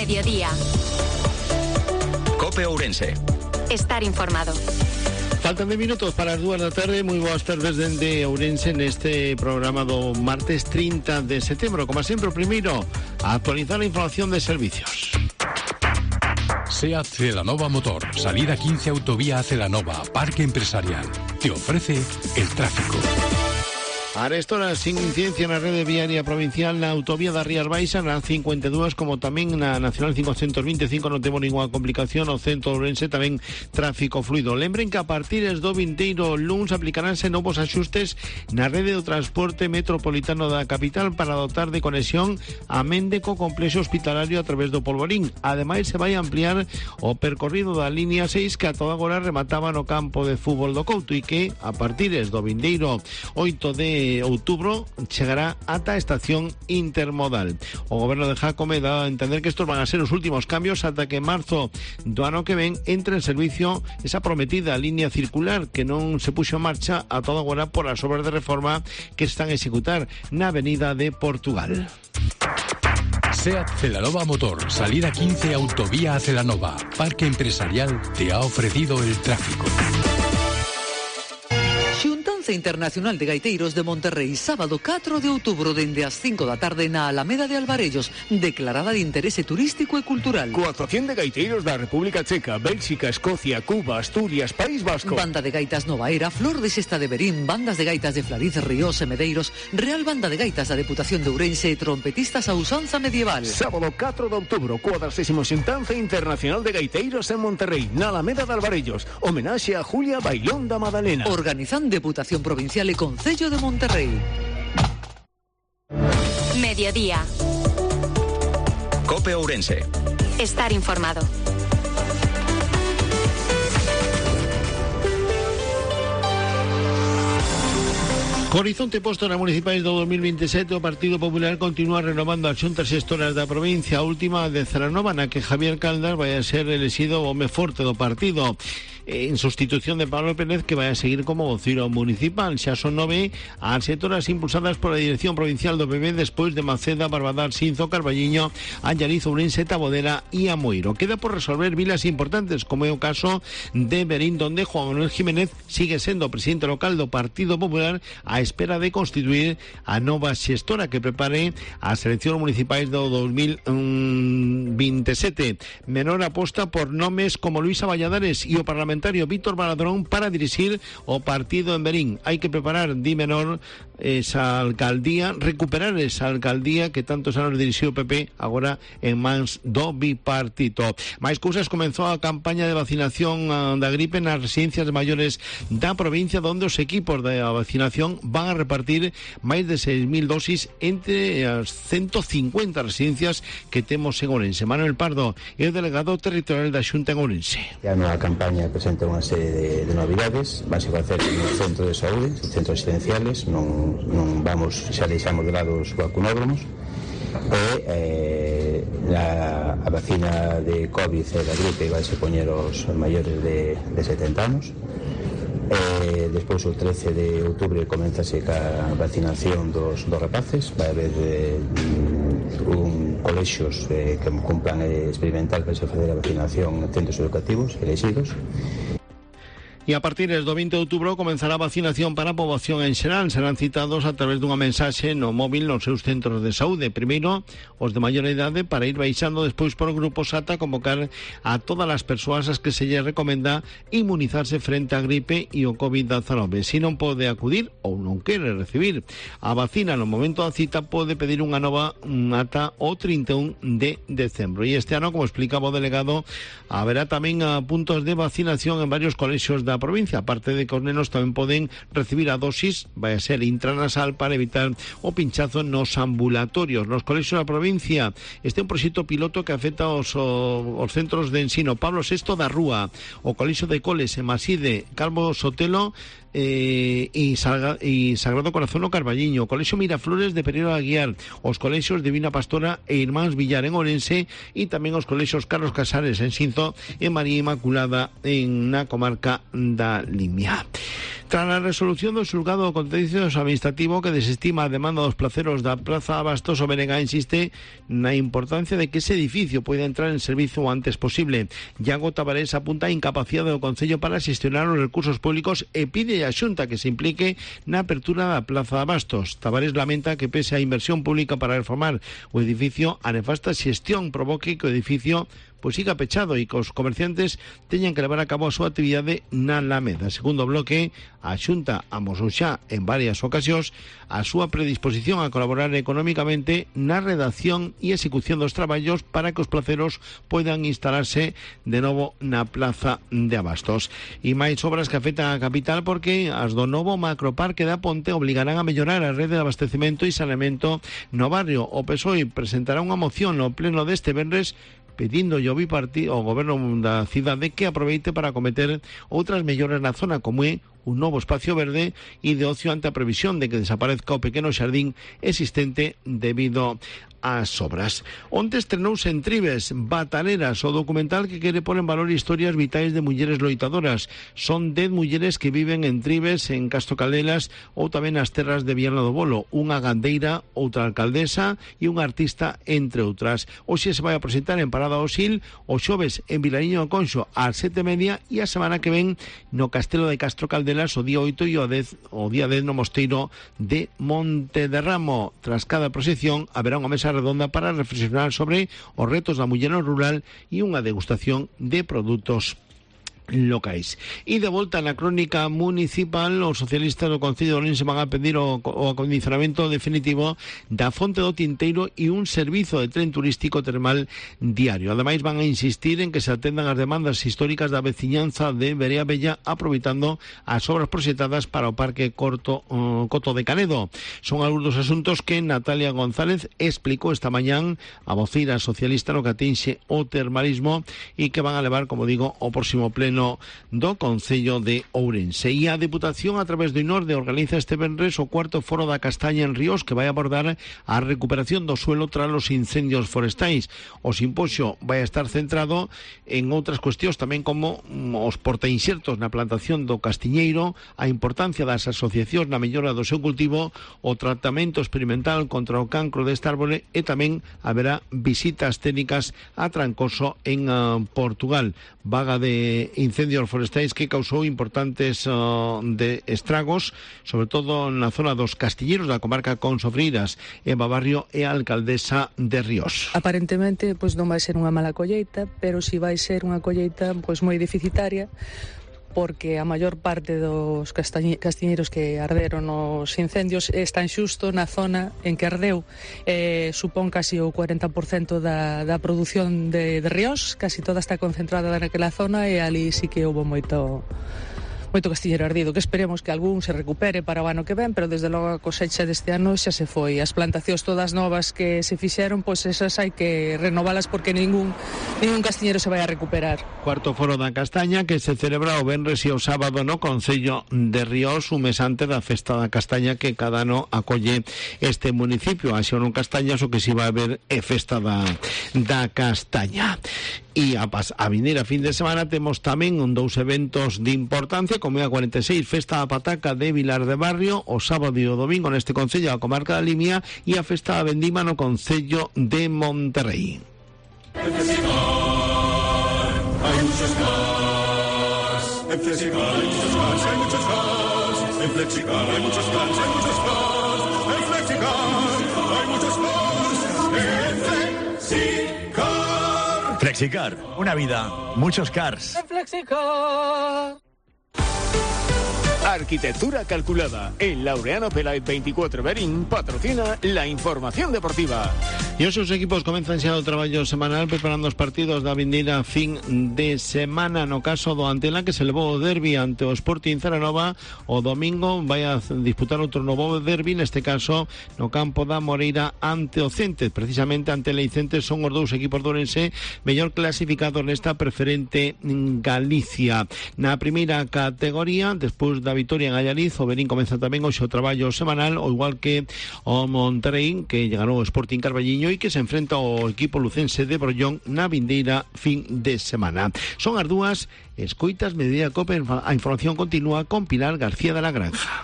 Mediodía. COPE Ourense. Estar informado. Faltan 10 minutos para as 2 da tarde. Moi boas tardes dende Ourense neste programa do martes 30 de setembro. Como sempre, o primeiro, a actualizar a información de servicios. SEAT Celanova Motor, salida 15 autovía a Celanova, Parque Empresarial. Te ofrece el tráfico. A esta hora, sin incidencia na rede viaria provincial na autovía da Rías Baixas, na 52, como tamén na Nacional 525, non temos ninguna complicación. No centro de Ourense tamén tráfico fluido. Lembren que a partir do vindeiro luns aplicaránse novos axustes na rede do transporte metropolitano da capital para dotar de conexión a Mende co complexo hospitalario a través do Polvorín. Ademais, se vai ampliar o percorrido da línea 6 que a toda agora remataba no campo de fútbol do Couto e que a partir do vindeiro 8 de outubro chegará ata a estación intermodal. O goberno de Jácome dá a entender que estos van a ser os últimos cambios ata que en marzo do ano que ven entre en servicio esa prometida línea circular que non se puxo en marcha a toda agora por as obras de reforma que están a executar na avenida de Portugal. SEAT Celanova Motor, salida 15 autovía a Celanova, Parque Empresarial te ha ofrecido el tráfico. Xuntanza Internacional de Gaiteiros de Monterrey, sábado 4 de outubro dende as 5 da tarde na Alameda de Alvarellos, declarada de interese turístico e cultural. Coa actuación de gaiteiros da República Checa, Bélxica, Escocia, Cuba, Asturias, País Vasco. Banda de gaitas Nova Era, Flor de Sesta de Berín, bandas de gaitas de Flariz, Ríos e Medeiros, Real Banda de Gaitas da Deputación de Ourense e trompetistas a usanza medieval. Sábado 4 de outubro, coa 40ª Xuntanza Internacional de Gaiteiros en Monterrey, na Alameda de Alvarellos, homenaxe a Julia Bailón da Madalena. Organizan Deputación Provincial e Concello de Monterrey. Mediodía. COPE Ourense. Estar informado. Co horizonte posto nas municipais do 2027, o Partido Popular continúa renovando as xuntas xestoras da provincia. A última de Celanova, na que Javier Caldas vai a ser elexido o home forte do partido, en sustitución de Pablo Pérez, que vai a seguir como vociro municipal. Xa son 9 as xetoras impulsadas pola Dirección Provincial do PP despois de Maceda, Barbadar, Sinzo, Carballiño, Allariz, Ourense, Tabodera e Amoeiro. Queda por resolver vilas importantes, como é o caso de Berín, donde Juan Manuel Jiménez sigue sendo presidente local do Partido Popular a espera de constituir a nova xestora que prepare as eleccións municipais do 2027. Menor aposta por nomes como Luisa Valladares e o parlamentario Víctor Baladrón para dirixir o partido en Berín. Hai que preparar, di Menor, esa alcaldía, recuperar esa alcaldía que tantos anos dirixiu o PP, agora en mans do bipartito. Mais cousas, comenzou a campaña de vacinación da gripe nas residencias de maiores da provincia, onde os equipos de vacinación van a repartir máis de 6.000 dosis entre as 150 residencias que temos en Ourense. Manuel Pardo é o delegado territorial da Xunta en Ourense. A nova campaña presenta unha serie de novidades. Vanse facer no centro de saúde, centros residenciales, non vamos, xa deixamos de lado os vacunódromos, e a vacina de COVID e da gripe vai se poñer aos maiores de 70 anos. Despois o 13 de outubro comenzase ca vacinación dos rapaces. Vai haber colexios que cumplan experimental para se facer a vacinación en centros educativos elegidos. E a partir do 20 de outubro comenzará a vacinación para a poboación en xeral. Serán citados a través dunha mensaxe no móvil nos seus centros de saúde. Primeiro, os de maior idade, para ir baixando despois por grupos ata convocar a todas as persoas as que se lle recomenda inmunizarse frente á gripe e o COVID-19. Se non pode acudir ou non quere recibir a vacina no momento da cita, pode pedir unha nova ata o 31 de decembro. E este ano, como explicaba o delegado, haberá tamén puntos de vacinación en varios colexios da provincia. Aparte de que os nenos tamén poden recibir a dosis, vai a ser intranasal, para evitar o pinchazo nos ambulatorios. Nos colexios da provincia, este é un proxecto piloto que afecta aos centros de ensino Pablo VI da Rúa, o Colexio de Coles, Maside, Calvo Sotelo e Sagrado Corazón o Carballiño, o Colexio Miraflores de Pereiro Aguiar, os colexios Divina Pastora e Irmáns Villar en Ourense, e tamén os colexios Carlos Casares en Xinzo e María Inmaculada na comarca da Limia. Tras a resolución do xulgado contencioso administrativo que desestima a demanda dos placeros da Praza Abastos, o BNG insiste na importancia de que ese edificio poida entrar en servizo o antes posible. Iago Tavares apunta a incapacidade do Concello para xestionar os recursos públicos e pide a Xunta que se implique na apertura da Plaza Abastos. Tavares lamenta que pese a inversión pública para reformar o edificio, a nefasta xestión provoque que o edificio siga pechado e que os comerciantes teñan que levar a cabo a súa actividade na Alameda. Segundo bloque, a Xunta amosou xa en varias ocasións a súa predisposición a colaborar económicamente na redacción e execución dos traballos para que os placeros poidan instalarse de novo na Plaza de Abastos. E máis obras que afectan a capital porque as do novo macroparque da Ponte obligarán a mellorar a rede de abastecemento e saneamento no barrio. O PSOE presentará unha moción no pleno deste venres pedindo ao goberno da cidade que aproveite para acometer outras melloras na zona, como é un novo espacio verde e de ocio ante a previsión de que desaparezca o pequeno xardín existente debido ás obras. Onte estrenouse en Tribes Bataneras, o documental que quere pôr en valor historias vitais de mulleres loitadoras. Son 10 mulleres que viven en Tribes, en Castro Caldelas ou tamén nas terras de Viana do Bolo, unha gandeira, outra alcaldesa e unha artista, entre outras. Hoxe se vai a presentar en Parada Osil, o xoves en Vilariño do Conxo ás 7:30 e a semana que ven no Castelo de Castro Caldelas o día 8 e o día 10 no Mosteiro de Montederramo. Tras cada procesión haberá unha mesa redonda para reflexionar sobre os retos da muller rural e unha degustación de produtos locais. E de volta na crónica municipal, os socialistas do Concello de Ourense van a pedir o acondicionamento definitivo da Fonte do Tinteiro e un servizo de tren turístico termal diario. Ademais, van a insistir en que se atendan as demandas históricas da veciñanza de Berea Bella, aproveitando as obras proxectadas para o Parque Coto de Canedo. Son algúns dos asuntos que Natalia González explicou esta mañán a voceira socialista no que atinxe o termalismo e que van a levar, como digo, o próximo pleno do Concello de Ourense. E a Deputación, a través do INORDE, organiza este venres o cuarto foro da castaña en Ríos, que vai abordar a recuperación do suelo tras os incendios forestais. O simposio vai estar centrado en outras cuestións tamén, como os portainxertos na plantación do castiñeiro, a importancia das asociacións na mellora do seu cultivo, o tratamento experimental contra o cancro deste árbore e tamén haberá visitas técnicas a Trancoso en Portugal. Vaga de incendios forestais que causou importantes de estragos, sobre todo na zona dos Castilleros da comarca Consofreiras. Eva Barrio é a alcaldesa de Ríos. Aparentemente, non vai ser unha mala colleita, pero si vai ser unha colleita moi deficitaria, porque a maior parte dos castiñeiros que arderon nos incendios están xusto na zona en que ardeu. Supón casi o 40% da produción de Ríos, casi toda está concentrada naquela zona e ali sí que houve moito castiñeiro ardido, que esperemos que algún se recupere para o ano que ven, pero desde logo a cosecha deste ano xa se foi. As plantacións todas novas que se fixeron, esas hai que renovalas porque ningún castiñeiro se vai a recuperar. Cuarto foro da castaña que se celebra o venres e o sábado no Concello de Ríos, un mes antes da festa da castaña que cada ano acolle este municipio. Así non castañas, o que si vai haber é festa da castaña. E a vindeira fin de semana temos tamén dous eventos de importancia, como é a 46 Festa da Pataca de Vilar de Barrio, o sábado e o domingo neste Concello da comarca da Limia, e a Festa da Vendima no Concello de Monterrey. En Flexicar hay muchos cars. En Flexicar hay muchos cars, hay muchos cars. En Flexicar hay muchos cars, hay muchos cars. En Flexicar hay muchos cars. En Flexicar. Flexicar, una vida, muchos cars. Flexicar. Arquitectura calculada. El Laureano Peláez 24 Berín patrocina la información deportiva. E os seus equipos comenzan xa o traballo semanal preparando os partidos da vindeira fin de semana. No caso do Antela, que se levou o derbi ante o Sporting Ceranova, o domingo vai a disputar outro novo derbi, neste caso no campo da Moreira ante o Cente. Precisamente ante o Cente son os dous equipos do Ourense mellor clasificados nesta preferente Galicia. Na primeira categoría, despois da vitoria en Allariz, o Berín comeza tamén hoxe o traballo semanal, o igual que o Monterrey, que llegará o Sporting Carballiño Peñoi, que se enfrenta ao equipo lucense de Brollón na vindeira fin de semana. Son as dúas, escoitas Mediodía Cope, a información continúa con Pilar García de la Granja.